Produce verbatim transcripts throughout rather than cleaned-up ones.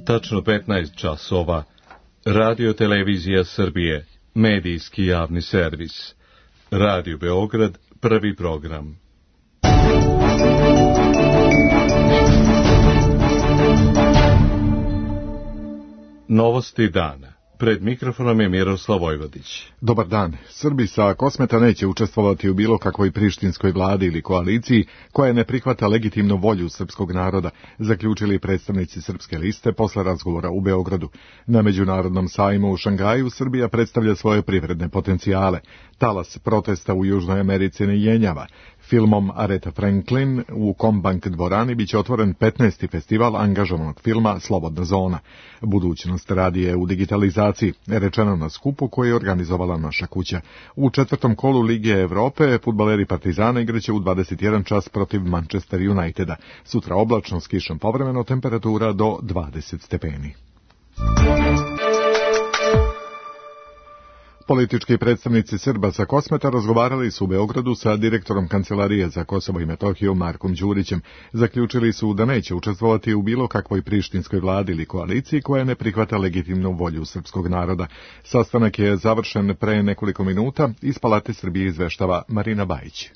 Tačno petnaest časova. Radio Televizija Srbije, medijski javni servis. Radio Beograd, prvi program. Novosti dana. Pred mikrofonom je Miroslav Vojvodić. Dobar dan. Srbi sa Kosmeta neće učestvovati u bilo kakvoj prištinskoj vladi ili koaliciji koja ne prihvata legitimnu volju srpskog naroda, zaključili predstavnici Srpske liste posle razgovora u Beogradu. Na međunarodnom sajmu u Šangaju Srbija predstavlja svoje privredne potencijale. Talas protesta u Južnoj Americi ne jenjava. Filmom Aretha Franklin u Combank dvorani biće otvoren petnaesti festival angažovanog filma Slobodna zona. Budućnost radi je u digitalizaciji, rečeno na skupu koji je organizovala Naša kuća. U četvrtom kolu Lige Evrope fudbaleri Partizana igraće u dvadeset jedan čas protiv Manchester Uniteda. Sutra oblačno s kišom povremeno, temperatura do dvadeset stepeni. Politički predstavnici Srba sa Kosmeta razgovarali su u Beogradu sa direktorom Kancelarije za Kosovo i Metohiju Markom Đurićem. Zaključili su da neće učestvovati u bilo kakvoj prištinskoj vladi ili koaliciji koja ne prihvata legitimnu volju srpskog naroda. Sastanak je završen pre nekoliko minuta. Iz Palate Srbije izveštava Marina Bajić.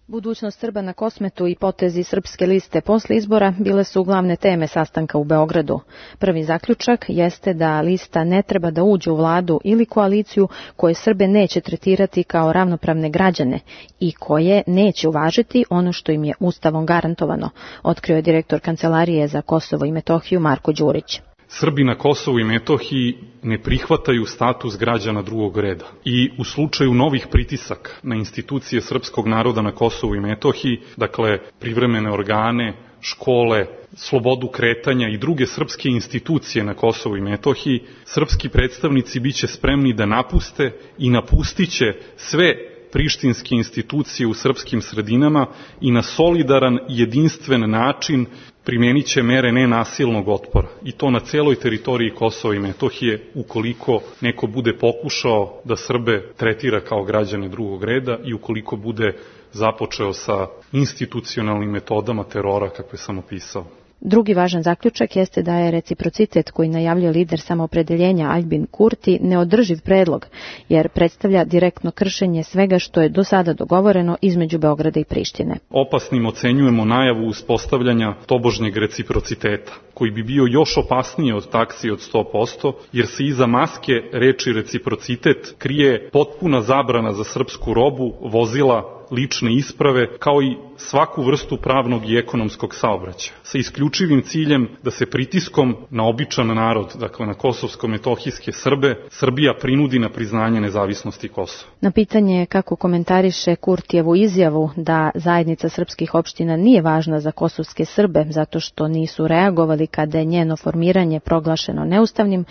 Budućnost Srba na Kosmetu i potezi Srpske liste posle izbora bile su glavne teme sastanka u Beogradu. Prvi zaključak jeste da lista ne treba da uđe u vladu ili koaliciju koje Srbe neće tretirati kao ravnopravne građane i koje neće uvažiti ono što im je Ustavom garantovano, otkrio je direktor Kancelarije za Kosovo i Metohiju Marko Đurić. Srbi na Kosovu i Metohiji ne prihvataju status građana drugog reda i u slučaju novih pritisaka na institucije srpskog naroda na Kosovu i Metohiji, dakle privremene organe, škole, slobodu kretanja i druge srpske institucije na Kosovu i Metohiji, srpski predstavnici biće spremni da napuste i napustiće sve prištinske institucije u srpskim sredinama i na solidaran, jedinstven način primenit će mere nenasilnog otpora. I to na celoj teritoriji Kosova i Metohije, ukoliko neko bude pokušao da Srbe tretira kao građane drugog reda i ukoliko bude započeo sa institucionalnim metodama terora, kakve sam opisao. Drugi važan zaključak jeste da je reciprocitet koji najavljuje lider samoopredeljenja Aljbin Kurti neodrživ predlog, jer predstavlja direktno kršenje svega što je do sada dogovoreno između Beograda i Prištine. Opasnim ocenjujemo najavu uspostavljanja tobožnjeg reciprociteta, koji bi bio još opasnije od taksi od sto posto, jer se iza maske reči reciprocitet krije potpuna zabrana za srpsku robu, vozila, lične isprave, kao i svaku vrstu pravnog i ekonomskog saobraćaja, sa isključivim ciljem da se pritiskom na običan narod, dakle na kosovsko-metohijske Srbe, Srbija prinudi na priznanje nezavisnosti Kosova. Na pitanje kako komentariše Kurtijevu izjavu da zajednica srpskih opština nije važna za kosovske Srbe zato što nisu reagovali kada je njeno formiranje proglašeno neustavnim,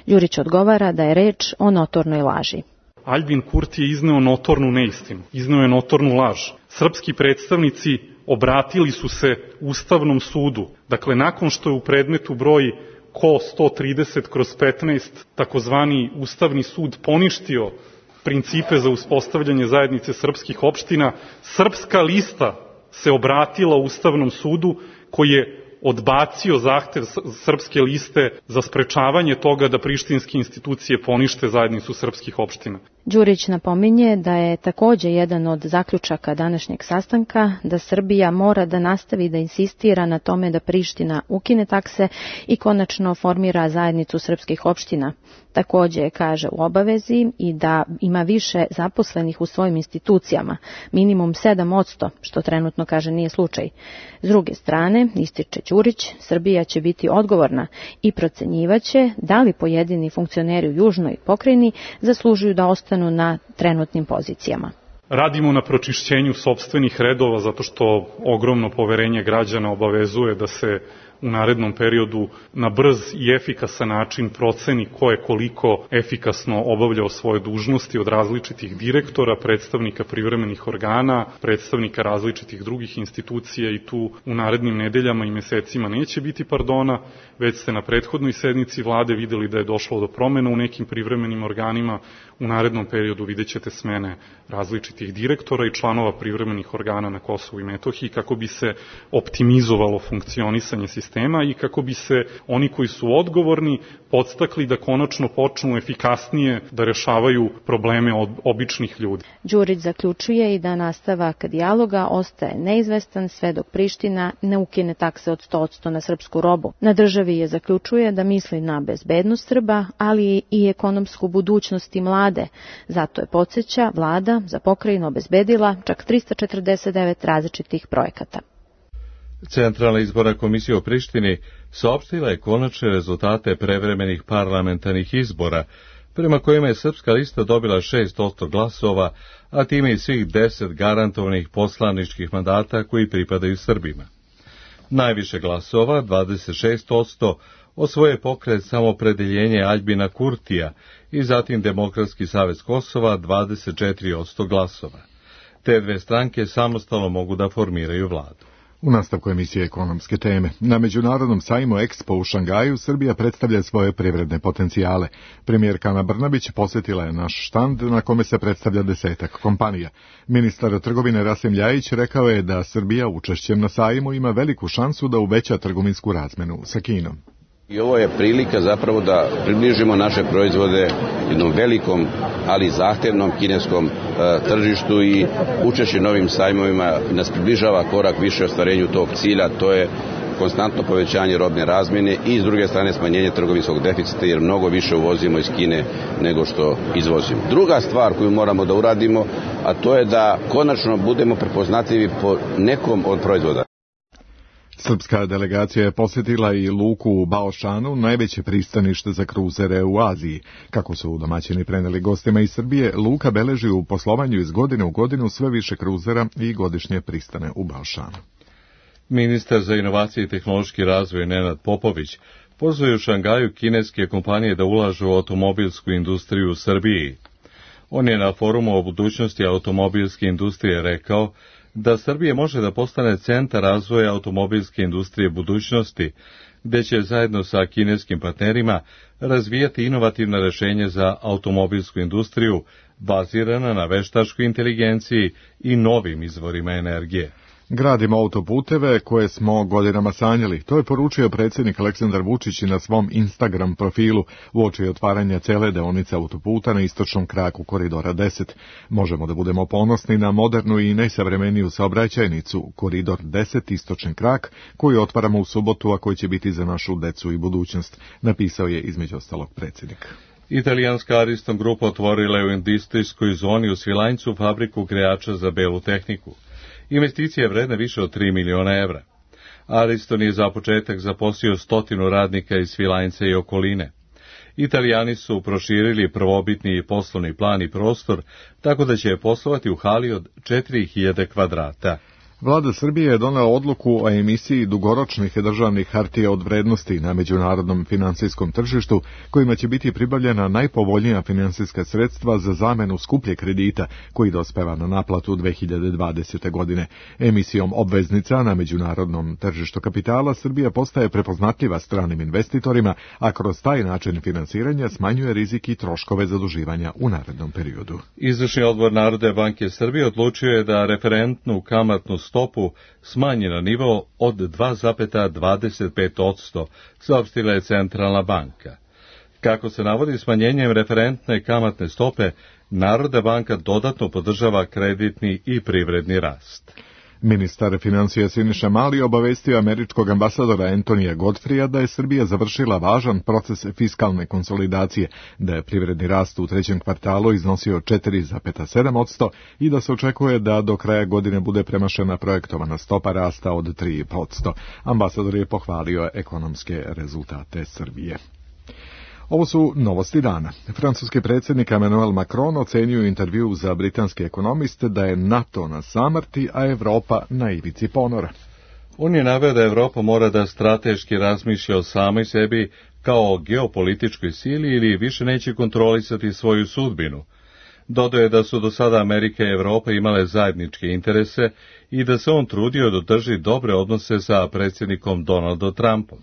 Đurić odgovara da je reč o notornoj laži. Aljbin Kurti je izneo notornu neistinu, izneo je notornu laž. Srpski predstavnici obratili su se Ustavnom sudu. Dakle, nakon što je u predmetu broj Ko sto trideset kroz petnaest takozvani Ustavni sud poništio principe za uspostavljanje zajednice srpskih opština, Srpska lista se obratila Ustavnom sudu koji je odbacio zahtev Srpske liste za sprečavanje toga da prištinske institucije ponište zajednicu srpskih opština. Đurić napominje da je takođe jedan od zaključaka današnjeg sastanka da Srbija mora da nastavi da insistira na tome da Priština ukine takse i konačno formira zajednicu srpskih opština. Takođe kaže u obavezi i da ima više zaposlenih u svojim institucijama, minimum sedam posto, što trenutno kaže nije slučaj. S druge strane, ističe Đurić, Srbija će biti odgovorna i procenjivaće da li pojedini funkcioneri u južnoj pokrajini zaslužuju da ostanu na trenutnim pozicijama. Radimo na pročišćenju sopstvenih redova zato što ogromno poverenje građana obavezuje da se u narednom periodu na brz i efikasan način proceni ko je koliko efikasno obavljao svoje dužnosti od različitih direktora, predstavnika privremenih organa, predstavnika različitih drugih institucija i tu u narednim nedeljama i mesecima neće biti pardona, već ste na prethodnoj sednici vlade videli da je došlo do promena u nekim privremenim organima, u narednom periodu vidjet ćete smene različitih direktora i članova privremenih organa na Kosovu i Metohiji kako bi se optimizovalo funkcionisanje sistema sistema i kako bi se oni koji su odgovorni podstakli da konačno počnu efikasnije da rešavaju probleme od običnih ljudi. Đurić zaključuje i da nastavak dijaloga ostaje neizvestan sve dok Priština ne ukine takse od sto posto na srpsku robu. Na državi je zaključuje da misli na bezbednost Srba, ali i ekonomsku budućnost i mlade. Zato je, podsjeća, vlada za pokrajinu obezbedila čak trista četrdeset devet različitih projekata. Centralna izborna komisija u Prištini saopštila je konačne rezultate prevremenih parlamentarnih izbora, prema kojima je Srpska lista dobila šest posto glasova, a time i svih deset garantovanih poslaničkih mandata koji pripadaju Srbima. Najviše glasova, dvadeset šest posto, osvoje pokret Samopredeljenje Aljbina Kurtija i zatim Demokratski savez Kosova dvadeset četiri posto glasova. Te dve stranke samostalno mogu da formiraju vladu. U nastavku emisije ekonomske teme. Na međunarodnom sajmu Expo u Šangaju Srbija predstavlja svoje privredne potencijale. Premijerka Ana Brnabić posjetila je naš štand na kome se predstavlja desetak kompanija. Ministar trgovine Rasim Ljajić rekao je da Srbija učešćem na sajmu ima veliku šansu da uveća trgovinsku razmenu sa Kinom. I ovo je prilika zapravo da približimo naše proizvode jednom velikom, ali zahtevnom kineskom e, tržištu i učešće novim sajmovima nas približava korak više ostvarenju tog cilja, to je konstantno povećanje robne razmjene i s druge strane smanjenje trgovinskog deficita jer mnogo više uvozimo iz Kine nego što izvozimo. Druga stvar koju moramo da uradimo, a to je da konačno budemo prepoznatljivi po nekom od proizvoda. Srpska delegacija je posjetila i luku u Baošanu, najveće pristanište za kruzere u Aziji. Kako su domaćini preneli gostima iz Srbije, luka beleži u poslovanju iz godine u godinu sve više kruzera i godišnje pristane u Baošanu. Ministar za inovacije i tehnološki razvoj Nenad Popović pozvao u Šangaju kineske kompanije da ulažu u automobilsku industriju u Srbiji. On je na forumu o budućnosti automobilske industrije rekao da Srbija može da postane centar razvoja automobilske industrije budućnosti, gde će zajedno sa kineskim partnerima razvijati inovativna rešenja za automobilsku industriju bazirana na veštačkoj inteligenciji i novim izvorima energije. Gradimo autoputeve koje smo godinama sanjali. To je poručio predsjednik Aleksandar Vučić na svom Instagram profilu uoči otvaranja cele deonice autoputa na istočnom kraku koridora deset. Možemo da budemo ponosni na modernu i najsavremeniju saobraćajnicu, koridor deset istočni krak, koji otvaramo u subotu, a koji će biti za našu decu i budućnost, napisao je između ostalog predsjednik. Italijanska Ariston grupa otvorila je u industrijskoj zoni u Svilajncu fabriku grejača za belu tehniku. Investicija je vredna više od tri miliona evra. Ariston je za početak zaposlio stotinu radnika iz Svilajnca i okoline. Italijani su proširili prvobitni poslovni plan i prostor, tako da će poslovati u hali od četiri hiljade kvadrata. Vlada Srbije je donela odluku o emisiji dugoročnih državnih hartija od vrednosti na međunarodnom finansijskom tržištu, kojima će biti pribavljena najpovoljnija finansijska sredstva za zamenu skuplje kredita, koji dospeva na naplatu dve hiljade dvadesete. godine. Emisijom obveznica na međunarodnom tržištu kapitala Srbija postaje prepoznatljiva stranim investitorima, a kroz taj način finansiranja smanjuje rizik i troškove zaduživanja u narednom periodu. Izvršni odbor Narodne banke Srbije odlučio je da referentnu kamatnu stopu smanji na nivo od dva zarez dvadeset pet posto, saopštila je Centralna banka. Kako se navodi, smanjenjem referentne kamatne stope, Narodna banka dodatno podržava kreditni i privredni rast. Ministar financija Siniša Mali obavestio američkog ambasadora Antonija Godfrija da je Srbija završila važan proces fiskalne konsolidacije, da je privredni rast u trećem kvartalu iznosio četiri zarez sedam posto i da se očekuje da do kraja godine bude premašena projektovana stopa rasta od tri posto. Ambasador je pohvalio ekonomske rezultate Srbije. Ovo su novosti dana. Francuski predsjednik Emmanuel Macron ocenio u intervju za britanski ekonomiste da je NATO na samrti, a Evropa na ivici ponora. On je naveo da Evropa mora da strateški razmišlja o samoj sebi kao o geopolitičkoj sili ili više neće kontrolisati svoju sudbinu. Dodao je da su do sada Amerika i Evropa imale zajedničke interese i da se on trudio da drži dobre odnose sa predsjednikom Donaldom Trumpom.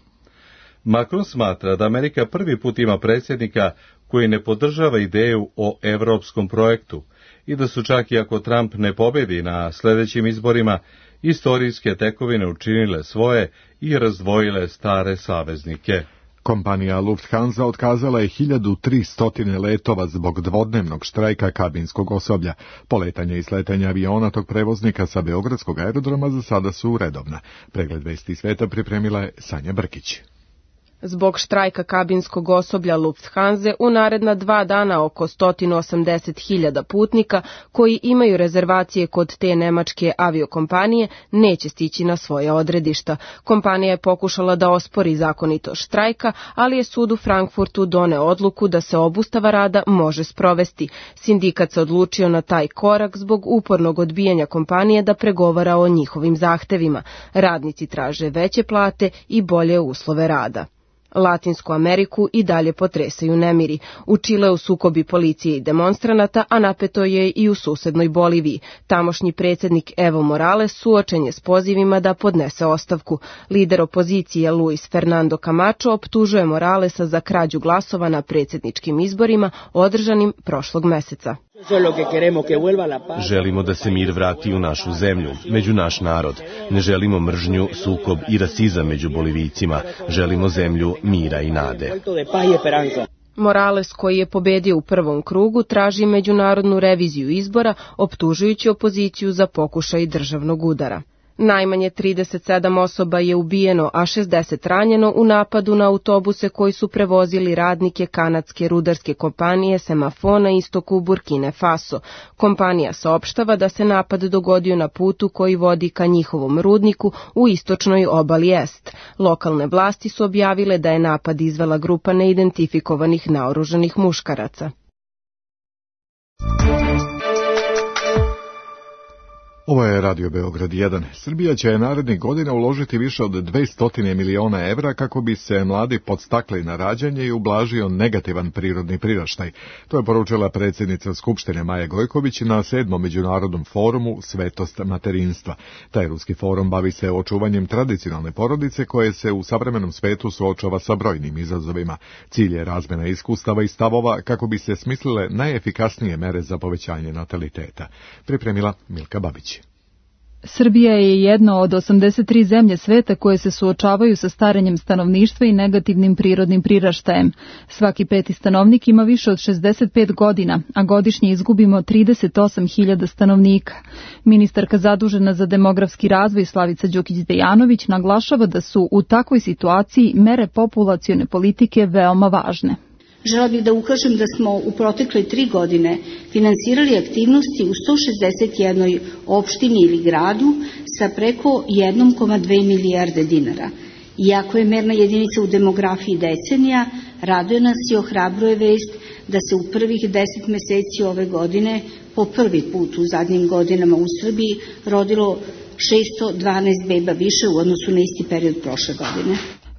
Macron smatra da Amerika prvi put ima predsjednika koji ne podržava ideju o evropskom projektu i da su čak i ako Trump ne pobedi na sljedećim izborima, istorijske tekovine učinile svoje i razdvojile stare saveznike. Kompanija Lufthansa otkazala je hiljadu tristo letova zbog dvodnevnog štrajka kabinskog osoblja. Poletanje i sletanje aviona tog prevoznika sa Beogradskog aerodroma za sada su redovna. Pregled vesti sveta pripremila je Sanja Brkić. Zbog štrajka kabinskog osoblja Lufthansa u naredna dva dana oko sto osamdeset hiljada putnika koji imaju rezervacije kod te nemačke aviokompanije neće stići na svoje odredišta. Kompanija je pokušala da ospori zakonitost štrajka, ali je sud u Frankfurtu doneo odluku da se obustava rada može sprovesti. Sindikat se odlučio na taj korak zbog upornog odbijanja kompanije da pregovara o njihovim zahtevima. Radnici traže veće plate i bolje uslove rada. Latinsku Ameriku i dalje potresaju nemiri. U Čileu sukobi policije i demonstranata, a napeto je i u susednoj Boliviji. Tamošnji predsjednik Evo Morales suočen je s pozivima da podnese ostavku. Lider opozicije Luis Fernando Camacho optužuje Moralesa za krađu glasova na predsjedničkim izborima održanim prošlog meseca. Želimo da se mir vrati u našu zemlju, među naš narod. Ne želimo mržnju, sukob i rasizam među Bolivijcima. Želimo zemlju mira i nade. Morales, koji je pobedio u prvom krugu, traži međunarodnu reviziju izbora, optužujući opoziciju za pokušaj državnog udara. Najmanje trideset sedam osoba je ubijeno, a šezdeset ranjeno u napadu na autobuse koji su prevozili radnike kanadske rudarske kompanije Semafo na istoku Burkine Faso. Kompanija saopštava da se napad dogodio na putu koji vodi ka njihovom rudniku u istočnoj obali Est. Lokalne vlasti su objavile da je napad izvela grupa neidentifikovanih naoružanih muškaraca. Ovo je Radio Beograd jedan. Srbija će narednih godina uložiti više od dvesta miliona evra kako bi se mladi podstakli na rađanje i ublažio negativan prirodni priraštaj. To je poručila predsjednica Skupštine Maja Gojković na sedmom međunarodnom forumu Svetost materinstva. Taj ruski forum bavi se očuvanjem tradicionalne porodice koje se u savremenom svetu suočava sa brojnim izazovima. Cilj je razmjena iskustava i stavova kako bi se smislile najefikasnije mere za povećanje nataliteta. Pripremila Milka Babić. Srbija je jedna od osamdeset tri zemlje sveta koje se suočavaju sa starenjem stanovništva i negativnim prirodnim priraštajem. Svaki peti stanovnik ima više od šezdeset pet godina, a godišnje izgubimo trideset osam hiljada stanovnika. Ministarka zadužena za demografski razvoj Slavica Đukić-Dejanović naglašava da su u takvoj situaciji mere populacione politike veoma važne. Žela bih da ukažem da smo u protekle tri godine finansirali aktivnosti u sto šezdeset jednoj opštini ili gradu sa preko jedan zarez dve milijarde dinara. Iako je merna jedinica u demografiji decenija, raduje nas i ohrabruje vest da se u prvih deset meseci ove godine po prvi put u zadnjim godinama u Srbiji rodilo šesto dvanaest beba više u odnosu na isti period prošle godine.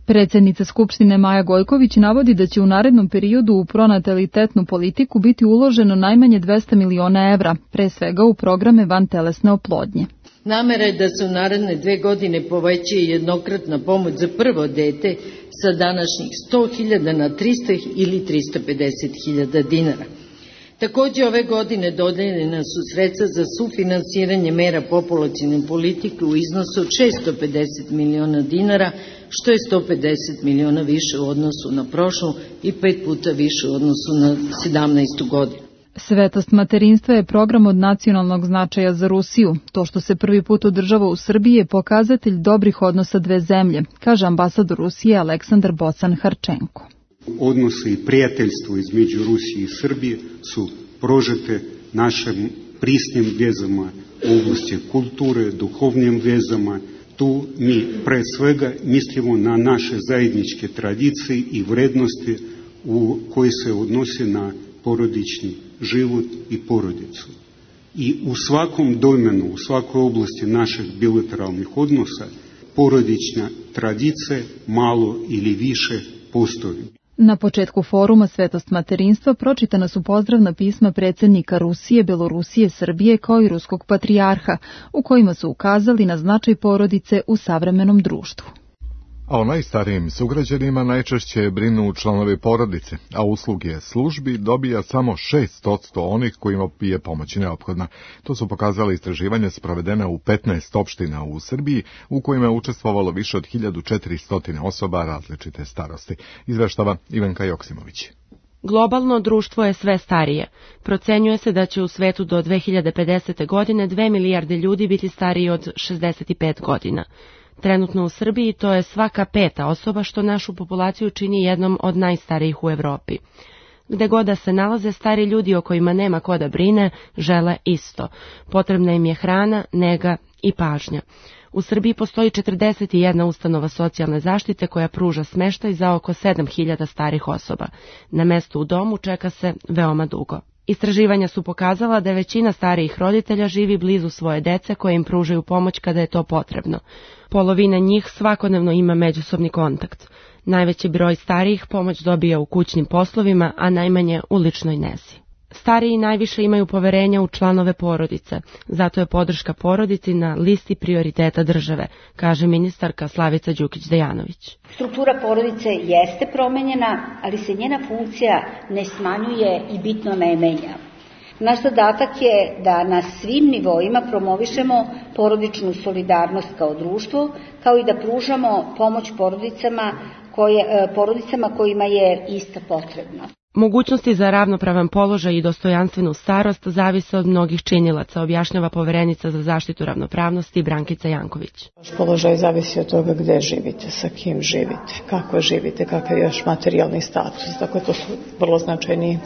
Predsjednica Skupštine Maja Gojković navodi da će u narednom periodu u pronatalitetnu politiku biti uloženo najmanje dvesta miliona evra, pre svega u programe vantelesne oplodnje. Namera je da se u naredne dve godine poveća jednokratna pomoć za prvo dete sa današnjih sto hiljada na trista ili trista pedeset hiljada dinara. Takođe ove godine dodeljena su sredstva za sufinansiranje mera populacione politike u iznosu od šesto pedeset miliona dinara, što je sto pedeset miliona više u odnosu na prošlu i pet puta više u odnosu na sedamnaestu godinu. Svetost materinstva je program od nacionalnog značaja za Rusiju. To što se prvi put održava u Srbiji je pokazatelj dobrih odnosa dve zemlje, kaže ambasador Rusije Aleksandar Bocan-Harčenko. Odnose i prijateljstvo između Rusije i Srbije su prožete našim prisnim vezama u oblasti kulture, duhovnim vezama. Tu mi pre svega mislimo na naše zajedničke tradicije i vrednosti u koji se odnose na porodični život i porodicu. I u svakom domenu, u svakoj oblasti naših bilateralnih odnosa, porodična tradicija malo ili više postoji. Na početku foruma Svetost materinstva pročitana su pozdravna pisma predsjednika Rusije, Belorusije, Srbije kao i ruskog patrijarha, u kojima su ukazali na značaj porodice u savremenom društvu. A o najstarijim sugrađanima najčešće brinu članovi porodice, a usluge službi dobija samo šest posto onih kojima je pomoć neophodna. To su pokazali istraživanja sprovedena u petnaest opština u Srbiji, u kojima je učestvovalo više od hiljadu četiristo osoba različite starosti. Izveštava Ivanka Joksimović. Globalno društvo je sve starije. Procenjuje se da će u svetu do dve hiljade pedesete. godine dve milijarde ljudi biti stariji od šezdeset pet godina. Trenutno u Srbiji to je svaka peta osoba, što našu populaciju čini jednom od najstarijih u Evropi. Gde god da se nalaze, stari ljudi o kojima nema ko da brine, žele isto. Potrebna im je hrana, nega i pažnja. U Srbiji postoji četrdeset jedna ustanova socijalne zaštite koja pruža smeštaj za oko sedam hiljada starih osoba. Na mesto u domu čeka se veoma dugo. Istraživanja su pokazala da većina starijih roditelja živi blizu svoje dece koje im pružaju pomoć kada je to potrebno. Polovina njih svakodnevno ima međusobni kontakt. Najveći broj starijih pomoć dobija u kućnim poslovima, a najmanje u ličnoj nezi. Stariji najviše imaju poverenja u članove porodice, zato je podrška porodici na listi prioriteta države, kaže ministarka Slavica Đukić-Dejanović. Struktura porodice jeste promenjena, ali se njena funkcija ne smanjuje i bitno ne menja. Naš zadatak je da na svim nivoima promovišemo porodičnu solidarnost kao društvo, kao i da pružamo pomoć porodicama, koje, porodicama kojima je ista potrebna. Mogućnosti za ravnopravan položaj i dostojanstvenu starost zavise od mnogih činilaca, objašnjava poverenica za zaštitu ravnopravnosti Brankica Janković. Vaš položaj zavisi od toga gde živite, sa kim živite, kako živite, kakav je još materijalni status. Dakle, to su vrlo značajni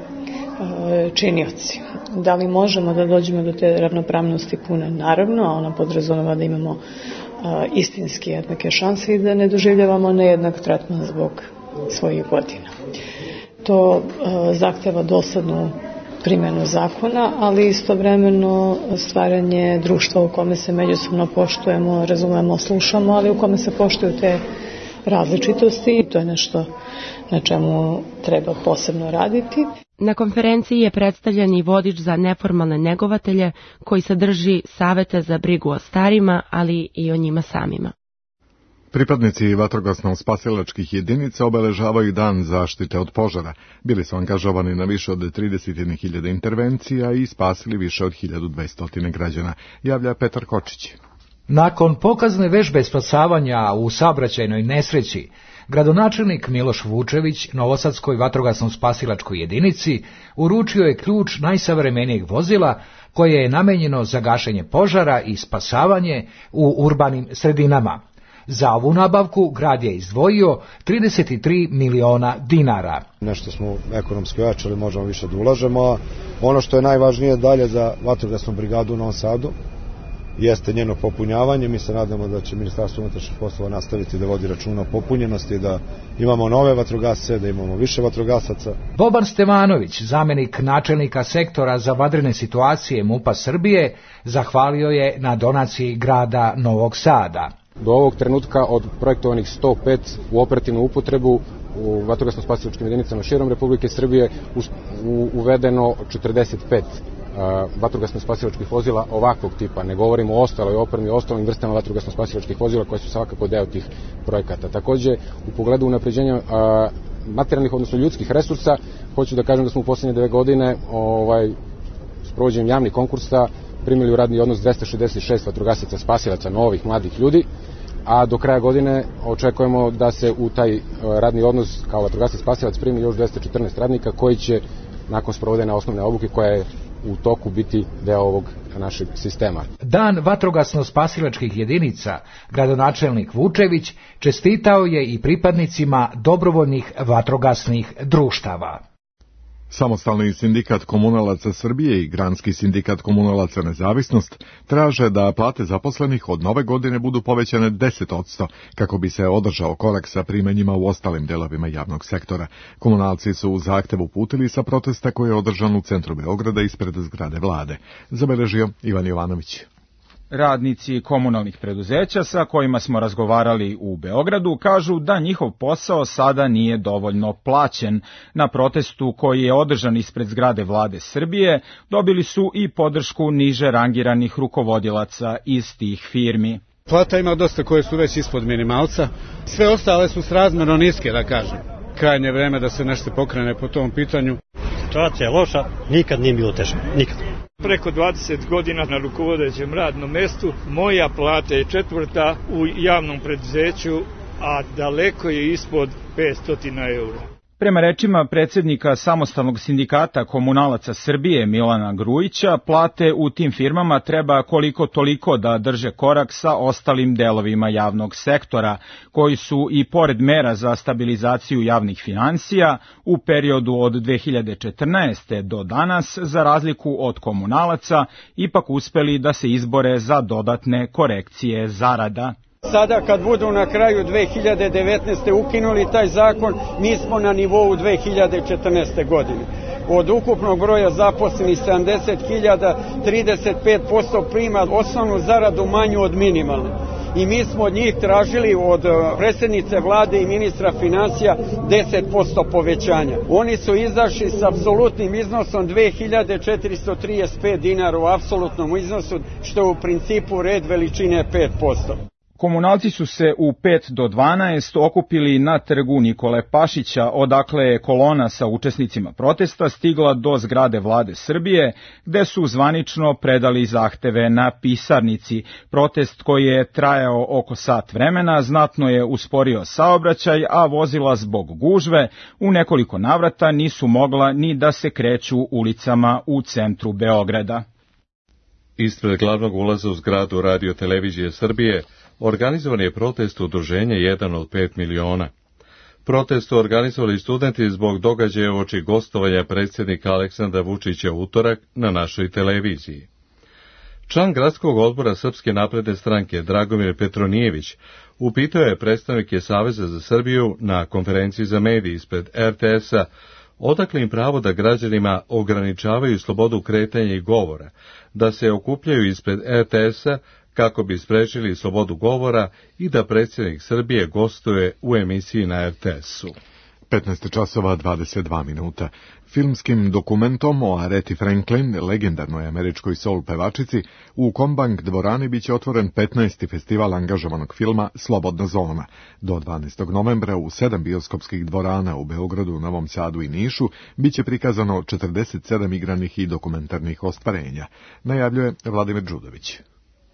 činioci. Da li možemo da dođemo do te ravnopravnosti pune? Naravno, a ona podrazumeva da imamo istinski jednake šanse i da ne doživljavamo nejednak tretman zbog svojih godina. To uh, zahteva doslednu primjenu zakona, ali istovremeno stvaranje društva u kome se međusobno poštujemo, razumemo, slušamo, ali u kome se poštuju te različitosti. To je nešto na čemu treba posebno raditi. Na konferenciji je predstavljen i vodič za neformalne negovatelje koji sadrži savete za brigu o starima, ali i o njima samima. Pripadnici vatrogasno-spasilačkih jedinica obeležavaju dan zaštite od požara. Bili su angažovani na više od trideset hiljada intervencija i spasili više od hiljadu dvesta građana, javlja Petar Kočić. Nakon pokazne vežbe spasavanja u saobraćajnoj nesreći, gradonačelnik Miloš Vučević Novosadskoj vatrogasno-spasilačkoj jedinici uručio je ključ najsavremenijeg vozila koje je namenjeno za gašenje požara i spasavanje u urbanim sredinama. Za ovu nabavku grad je izdvojio trideset tri miliona dinara. Nešto smo ekonomski ojačali, možemo više da ulažemo. Ono što je najvažnije dalje za vatrogasnu brigadu u Novom Sadu jeste njeno popunjavanje. Mi se nadamo da će Ministarstvo unutrašnjih poslova nastaviti da vodi računa o popunjenosti, da imamo nove vatrogasce, da imamo više vatrogasaca. Boban Stevanović, zamenik načelnika sektora za vanredne situacije MUP-a Srbije, zahvalio je na donaciji grada Novog Sada. Do ovog trenutka od projektovanih sto pet u operativnu upotrebu u vatrogasno-spasilačkim jedinicama širom Republike Srbije uvedeno četrdeset pet vatrogasno-spasilačkih vozila ovakvog tipa. Ne govorimo o ostaloj opremi, o ostalim vrstama vatrogasno-spasilačkih vozila koje su svakako deo tih projekata. Takođe, u pogledu unapređenja materijalnih, odnosno ljudskih resursa, hoću da kažem da smo u poslednje dve godine ovaj, s provođenjem javnih konkursa primili u radni odnos dvesta šezdeset šest vatrogasaca spasilaca, novih mladih ljudi, a do kraja godine očekujemo da se u taj radni odnos kao vatrogasac spasilac primi još dvesta četrnaest radnika koji će nakon sprovedene osnovne obuke koja je u toku biti deo ovog našeg sistema. Dan vatrogasno-spasilačkih jedinica gradonačelnik Vučević čestitao je i pripadnicima dobrovoljnih vatrogasnih društava. Samostalni sindikat komunalaca Srbije i Granski sindikat komunalaca Nezavisnost traže da plate zaposlenih od nove godine budu povećane deset posto kako bi se održao korak sa primanjima u ostalim delovima javnog sektora. Komunalci su u zahtev uputili sa protesta koji je održan u centru Beograda ispred zgrade vlade. Zabeležio Ivan Jovanović. Radnici komunalnih preduzeća sa kojima smo razgovarali u Beogradu kažu da njihov posao sada nije dovoljno plaćen. Na protestu koji je održan ispred zgrade vlade Srbije dobili su i podršku niže rangiranih rukovodilaca iz tih firmi. Plata ima dosta koje su već ispod minimalca, sve ostale su srazmjerno niske, da kažem. Krajnje vreme da se nešto pokrene po tom pitanju. Situacija je loša, nikad nije bilo teže, nikad. Preko dvadeset godina na rukovodećem radnom mestu, moja plata je četvrta u javnom preduzeću, a daleko je ispod petsto eura. Prema rečima predsjednika Samostalnog sindikata komunalaca Srbije Milana Grujića, plate u tim firmama treba koliko toliko da drže korak sa ostalim delovima javnog sektora, koji su i pored mera za stabilizaciju javnih finansija u periodu od dve hiljade četrnaeste. do danas, za razliku od komunalaca, ipak uspeli da se izbore za dodatne korekcije zarada. Sada kad budu na kraju dve hiljade devetnaeste. ukinuli taj zakon, mi smo na nivou dve hiljade četrnaeste. godine. Od ukupnog broja zaposlenih sedamdeset hiljada, trideset pet posto prima osnovnu zaradu manju od minimalne. I mi smo od njih tražili, od predsjednice vlade i ministra financija, deset posto povećanja. Oni su izašli s apsolutnim iznosom dve hiljade četiristo trideset pet dinara u apsolutnom iznosu, što je u principu red veličine pet posto. Komunalci su se u pet do dvanaest okupili na trgu Nikole Pašića, odakle je kolona sa učesnicima protesta stigla do zgrade vlade Srbije, gde su zvanično predali zahteve na pisarnici. Protest koji je trajao oko sat vremena znatno je usporio saobraćaj, a vozila zbog gužve u nekoliko navrata nisu mogla ni da se kreću ulicama u centru Beograda. Ispred glavnog ulaza u zgradu Radio televizije Srbije organizovan je protest udruženja jedan od pet miliona. Protest su organizovali studenti zbog događaja uoči gostovanja predsjednika Aleksandra Vučića u utorak na našoj televiziji. Član gradskog odbora Srpske napredne stranke Dragomir Petronijević upitao je predstavnike Saveza za Srbiju na konferenciji za medije ispred er te es-a odakle im pravo da građanima ograničavaju slobodu kretanja i govora, da se okupljaju ispred er te es-a kako bi sprečili slobodu govora i da predsjednik Srbije gostuje u emisiji na er te es-u. petnaest časova dvadeset dva minuta. Filmskim dokumentom o Areti Franklin, legendarnoj američkoj soul pevačici, u Kombank dvorani biće otvoren petnaesti festival angažovanog filma Slobodna zona. Do dvanaestog novembra u sedam bioskopskih dvorana u Beogradu, Novom Sadu i Nišu biće prikazano četrdeset sedam igranih i dokumentarnih ostvarenja, najavljuje Vladimir Đudović.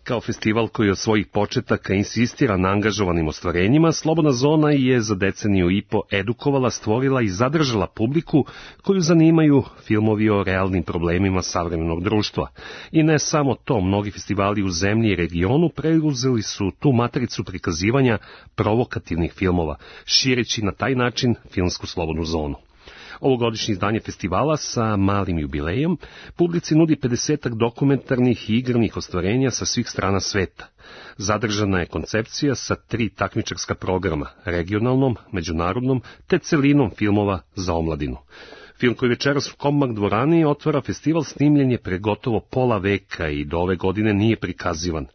Kao festival koji od svojih početaka insistira na angažovanim ostvarenjima, Slobodna zona je za deceniju i po edukovala, stvorila i zadržala publiku koju zanimaju filmovi o realnim problemima savremenog društva. I ne samo to, mnogi festivali u zemlji i regionu preuzeli su tu matricu prikazivanja provokativnih filmova, šireći na taj način filmsku Slobodnu zonu. Ovogodišnje izdanje festivala sa malim jubilejom publici nudi pedesetak dokumentarnih i igranih ostvarenja sa svih strana sveta. Zadržana je koncepcija sa tri takmičarska programa, regionalnom, međunarodnom te celinom filmova za omladinu. Film koji večeras u Kombank dvorani otvara festival snimljen je pre gotovo pola veka i do ove godine nije prikazivan.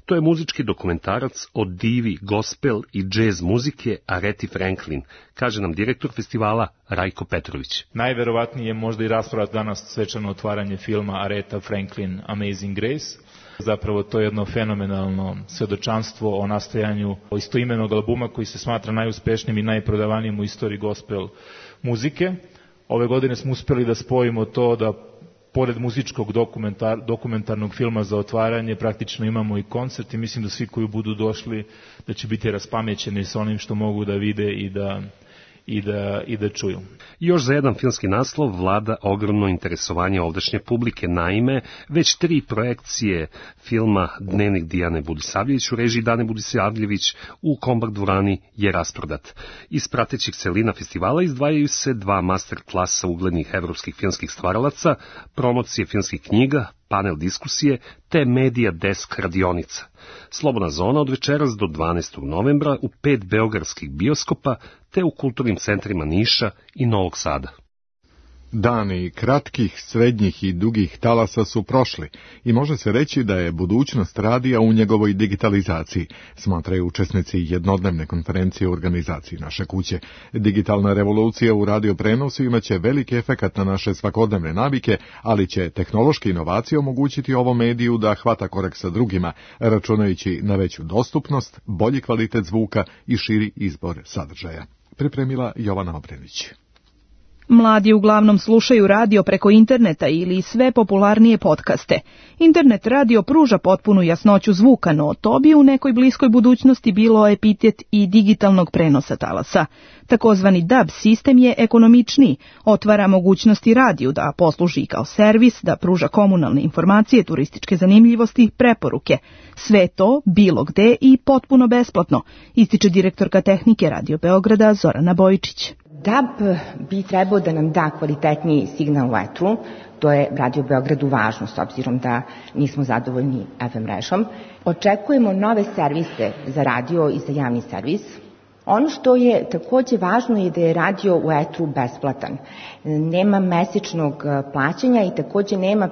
To je muzički dokumentarac o divi, gospel i džez muzike Areti Franklin, kaže nam direktor festivala Rajko Petrović. Najverovatnije je možda i rasprava danas svečano otvaranje filma Areta Franklin Amazing Grace. Zapravo to je jedno fenomenalno svedočanstvo o nastajanju istoimenog albuma koji se smatra najuspešnijim i najprodavanijim u istoriji gospel muzike. Ove godine smo uspjeli da spojimo to da pored muzičkog dokumentar, dokumentarnog filma za otvaranje praktično imamo i koncert i mislim da svi koji budu došli da će biti raspamećeni sa onim što mogu da vide i da, i da, i da čuju. Još za jedan filmski naslov vlada ogromno interesovanje ovdašnje publike. Naime, već tri projekcije filma Dnevnik Dijane Budisavljević u režiji Dane Budisavljević u Kombank dvorani je rasprodat. Iz pratećih celina festivala izdvajaju se dva master klasa uglednih evropskih filmskih stvaralaca, promocije filmskih knjiga, panel diskusije te Media Desk radionica. Slobodna zona od večeras do dvanaestog novembra u pet beogradskih bioskopa te u kulturnim centrima Niša i Novog Sada. Dani kratkih, srednjih i dugih talasa su prošli i može se reći da je budućnost radija u njegovoj digitalizaciji, smatraju učesnici jednodnevne konferencije u organizaciji Naše kuće. Digitalna revolucija u radioprenosu imaće veliki efekat na naše svakodnevne navike, ali će tehnološke inovacije omogućiti ovom mediju da hvata korak sa drugima, računajući na veću dostupnost, bolji kvalitet zvuka i širi izbor sadržaja. Pripremila Jovana Obrenić. Mladi uglavnom slušaju radio preko interneta ili sve popularnije podcaste. Internet radio pruža potpunu jasnoću zvuka, no to bi u nekoj bliskoj budućnosti bilo epitet i digitalnog prenosa talasa. Takozvani D A B sistem je ekonomičniji, otvara mogućnosti radiju da posluži kao servis, da pruža komunalne informacije, turističke zanimljivosti, preporuke. Sve to, bilo gde i potpuno besplatno, ističe direktorka tehnike Radio Beograda Zorana Bojičić. D A B bi trebao da nam da kvalitetniji signal u etru, to je Radio Beogradu važno s obzirom da nismo zadovoljni F M mrežom. Očekujemo nove servise za radio i za javni servis. Ono što je takođe važno je da je radio u etru besplatan. Nema mesečnog plaćanja i takođe nema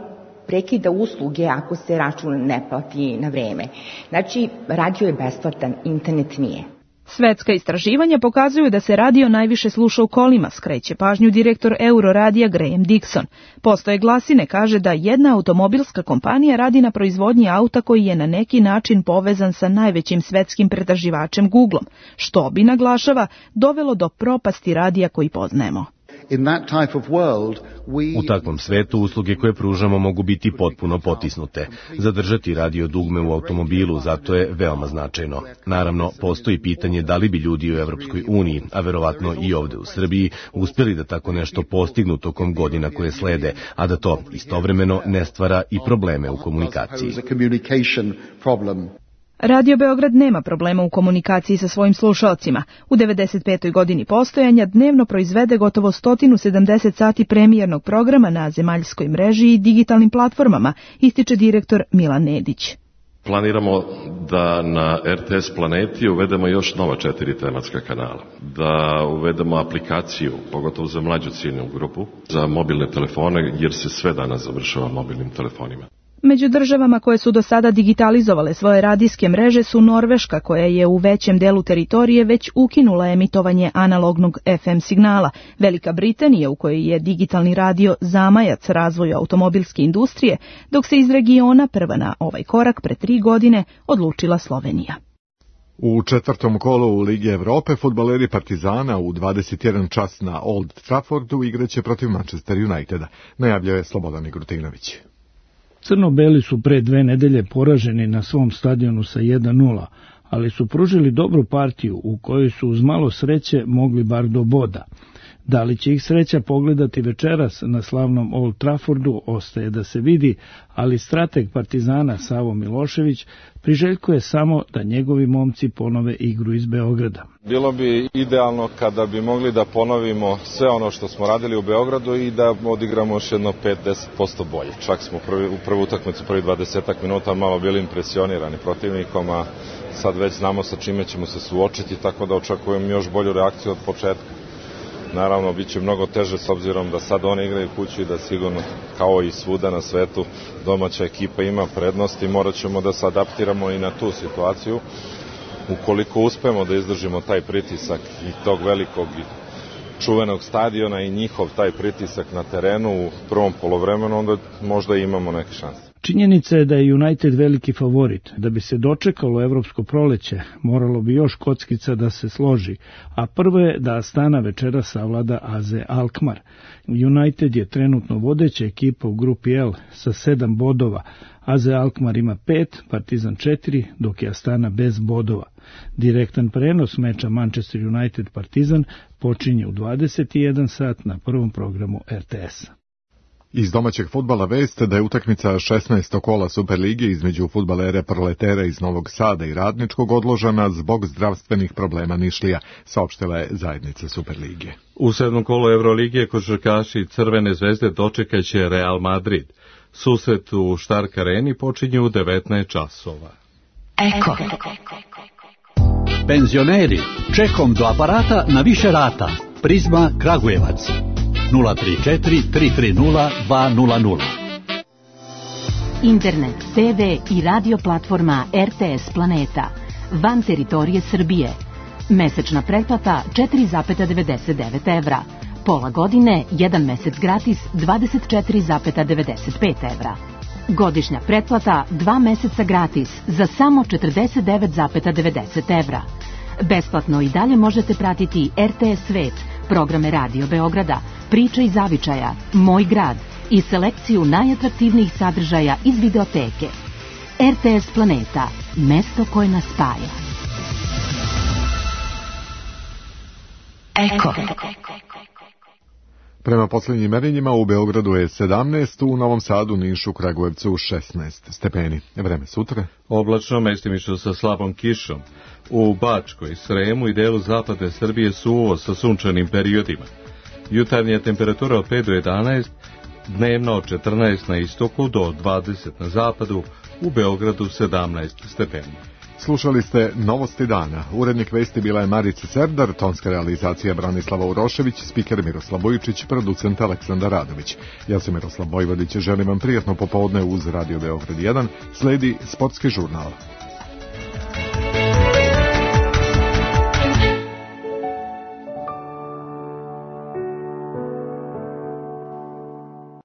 prekida usluge ako se račun ne plati na vreme. Znači, radio je besplatan, internet nije. Svetska istraživanja pokazuju da se radio najviše sluša u kolima, skreće pažnju direktor Euroradija Graham Dixon. Postoje glasine, kaže da jedna automobilska kompanija radi na proizvodnji auta koji je na neki način povezan sa najvećim svetskim pretraživačem Googlom, što bi, naglašava, dovelo do propasti radija koji poznajemo. U takvom svetu usluge koje pružamo mogu biti potpuno potisnute. Zadržati radio dugme u automobilu zato je veoma značajno. Naravno, postoji pitanje da li bi ljudi u Evropskoj uniji, a verovatno i ovde u Srbiji, uspjeli da tako nešto postignu tokom godina koje slede, a da to istovremeno ne stvara i probleme u komunikaciji. Radio Beograd nema problema u komunikaciji sa svojim slušalcima. U devedeset petoj godini postojanja dnevno proizvede gotovo sto sedamdeset sati premijernog programa na zemaljskoj mreži i digitalnim platformama, ističe direktor Milan Nedić. Planiramo da na R T S planeti uvedemo još nova četiri tematska kanala, da uvedemo aplikaciju, pogotovo za mlađu ciljnu grupu, za mobilne telefone, jer se sve danas završava mobilnim telefonima. Među državama koje su do sada digitalizovale svoje radijske mreže su Norveška, koja je u većem delu teritorije već ukinula emitovanje analognog F M signala, Velika Britanija, u kojoj je digitalni radio zamajac razvoju automobilske industrije, dok se iz regiona prva na ovaj korak pre tri godine odlučila Slovenija. U četvrtom kolu u Ligi Evrope fudbaleri Partizana u dvadeset jedan čas na Old Traffordu igraće protiv Manchester Uniteda, najavljuje Slobodan Igrutinović. Crno-beli su pre dve nedelje poraženi na svom stadionu sa jedan nula, ali su pružili dobru partiju u kojoj su uz malo sreće mogli bar do boda. Da li će ih sreća pogledati večeras na slavnom Old Traffordu ostaje da se vidi, ali strateg Partizana Savo Milošević priželjkuje samo da njegovi momci ponove igru iz Beograda. Bilo bi idealno kada bi mogli da ponovimo sve ono što smo radili u Beogradu i da odigramo još jedno pet do deset posto bolje. Čak smo prvi, u prvu utakmicu, prvi dvadesetak minuta malo bili impresionirani protivnikom, a sad već znamo sa čime ćemo se suočiti, tako da očekujem još bolju reakciju od početka. Naravno, bit će mnogo teže s obzirom da sad oni igraju kući i da sigurno, kao i svuda na svetu, domaća ekipa ima prednost i morat ćemo da se adaptiramo i na tu situaciju. Ukoliko uspemo da izdržimo taj pritisak i tog velikog i čuvenog stadiona i njihov taj pritisak na terenu u prvom polovremenu, onda možda imamo neke šanse. Činjenica je da je United veliki favorit. Da bi se dočekalo evropsko proleće, moralo bi još kockica da se složi, a prvo je da Astana večera savlada A Z Alkmaar. United je trenutno vodeća ekipa u grupi L sa sedam bodova, A Z Alkmaar ima pet, Partizan četiri, dok je Astana bez bodova. Direktan prenos meča Manchester United Partizan počinje u dvadeset jedan sat na prvom programu R T S. Iz domaćeg fudbala vest da je utakmica šesnaestog kola Superlige između fudbalere Proletera iz Novog Sada i Radničkog odložena zbog zdravstvenih problema Nišlija, saopštila je zajednica Superlige. U sedmom kolu Evrolige košarkaši Crvene zvezde dočekaće Real Madrid. Susret u Stark Areni počinje u devetnaest časova. Eko. Penzioneri, čekom do aparata na više rata. Prizma Kragujevac. nula tri četiri tri tri nula dva nula nula. Internet, te ve i radio platforma er te es Planeta. Van teritorije Srbije. Mesečna pretplata četiri zarez devedeset devet evra. Pola godine, jedan mesec gratis, dvadeset četiri zarez devedeset pet evra. Godišnja pretplata, dva meseca gratis, za samo četrdeset devet zarez devedeset evra. Besplatno i dalje možete pratiti er te es Svet, programe Radio Beograda, Priča iz zavičaja, Moj grad i selekciju najatraktivnijih sadržaja iz videoteke. er te es Planeta, mesto koje nas spaja. Eko. Prema posljednjim merenjima u Beogradu je sedamnaest, u Novom Sadu, Nišu, Kragujevcu šesnaest stepeni. Vreme sutra. Oblačno, mestimično sa slabom kišom. U Bačkoj, Sremu i delu zapadne Srbije suvo sa sunčanim periodima. Jutarnja temperatura od pet do jedanaest, dnevno od četrnaest na istoku do dvadeset na zapadu, u Beogradu sedamnaest stepeni. Slušali ste Novosti dana. Urednik vesti bila je Marica Serdar, tonska realizacija Branislava Urošević, spiker Miroslav Bojičić, producent Aleksandar Radović. Ja sam Miroslav Bojvodić, želim vam prijatno popodne uz Radio Beograd jedan, sledi sportski žurnal.